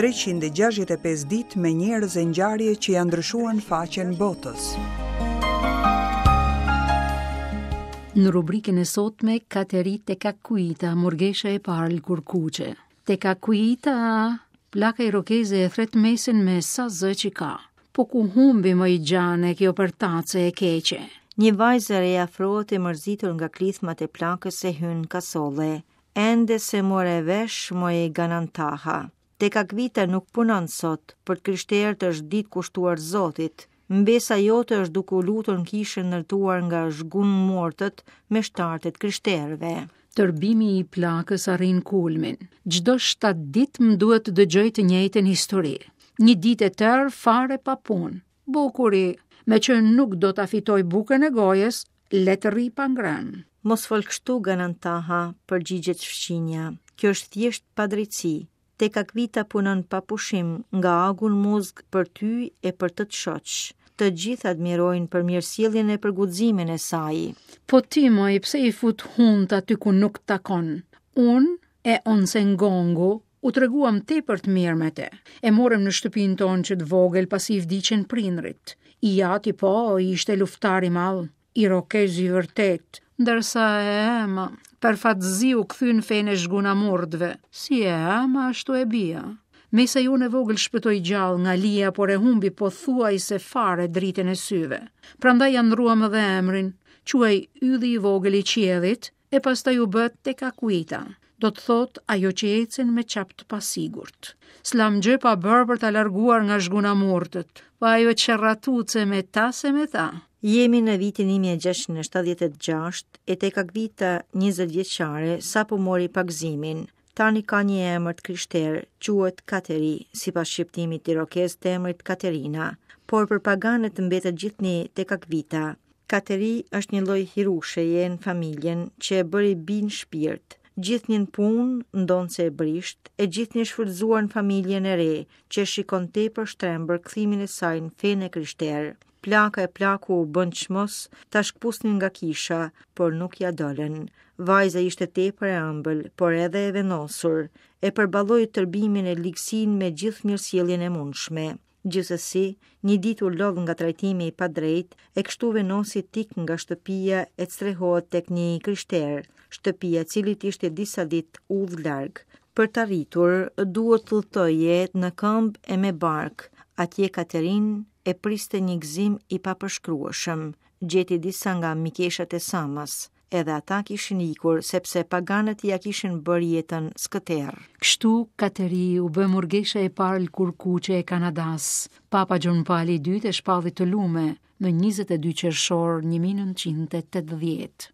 365 ditë me njerëz e ngjarje që ia ndryshuan faqen botës. Në rubrikën e sotme, Kateri Tekakwitha, murgesha e parë lëkurëkuqe. Tekakwitha, plaka irokeze e thërret mesin me sa zë që ka. Po ku humbi moj xhane kjo përtace e keqe? Një vajzë e re afrohet e mërzitur nga klithmat e plakës e hyn në kasolle. Ende s'e more vesh moj Ganantaha. Tekakwitha nuk punon sot, për të krishterët është ditë kushtuar Zotit. Mbesa jote është duke u lutur në kishën e ndërtuar nga zhgunmortët, meshtarët e të krishterëve. Tërbimi i plakës arrin kulmin. Çdo 7 ditë më duhet të dëgjoj të njëjtën histori. Një ditë e tërë fare pa punë. Bukuri, meqë nuk do ta fitojë bukën e gojës, le të rrijë pa ngrënë. Mos fol kështu, Ganantaha, përgjigjet fqinja. Kjo është thjesht padrejtësi. Tekakwitha punon pa pushim, nga agu në muzg për ty e për tët shoq. Të gjithë admirojnë për mirësjelljen e për guximin e saj. Po ti moj, pse i fut hundët aty ku nuk takon? Unë e Onsengongu U treguam tepër të mirë me te. E morëm në shtëpinë tonë që të vogël pasi i vdiqën prindërit. I jati po, ishte luftëtar i madh, irokez i vërtetë, ndërsa e ëma, për fat të zi u kthye në fenë e zhgunamurtëve, si e ëma ashtu e bija. Mesa jonë e vogël shpëtoi gjallë nga lija, por e humbi pothuajse fare dritën e syve. Prandaj ia ndërruam edhe emrin, quhej Ylli i vogël i qiellit, e pastaj u bë Tekakwitha, do të thotë ajo që ecën me çap të pasigurt. S'lamë gjë pa bërë për ta larguar nga zhgunamurtët, po ajo qerratuce me ta se me ta. Jemi në vitin 1676 e Tekakwitha 20 vjeçare sapo mori pagëzimin. Tani ka një emër të krishterë, quhet Kateri, sipas shqiptimit irokez të emrit Katerina, por për paganët mbetet gjithnjë Tekakwitha. Kateri është një lloj hirusheje në familjen që e bëri bijë në shpirt. Gjithnjë në punë, ndonëse e brishtë, e gjithnjë e shfrytëzuar në familjen e re, që e shikon tepër shtrembër kthimin e saj në fenë e krishterë. Plaka e plaku bënë çmos ta shkëpusnin nga kisha, por nuk ia dolën. Vajza ishte tepër e ëmbël, por edhe e vendosur. E përballoi tërbimin e ligësinë me gjithë mirësjelljen e mundshme. Gjithsesi, një ditë u lodh nga trajtimi i padrejtë e kështu vendosi të ikë nga shtëpia e të strehohet tek një i krishterë, shtëpia e cilit ishte disa ditë udhë larg. Për të arritur, duhet të udhëtoje në këmbë e me barkë. Atje Katerinë e priste një gëzim i papërshkrueshëm. Gjeti disa nga mikeshat e s'ëmës. Edhe ata kishin ikur, sepse paganët ia kishin bërë jetën skëterrë. Kështu, Kateri u bë murgesha e parë lëkurëkuqe e Kanadasë. Papa Gjon Pali i Dytë e shpalli të lume më 22 qershor 1980.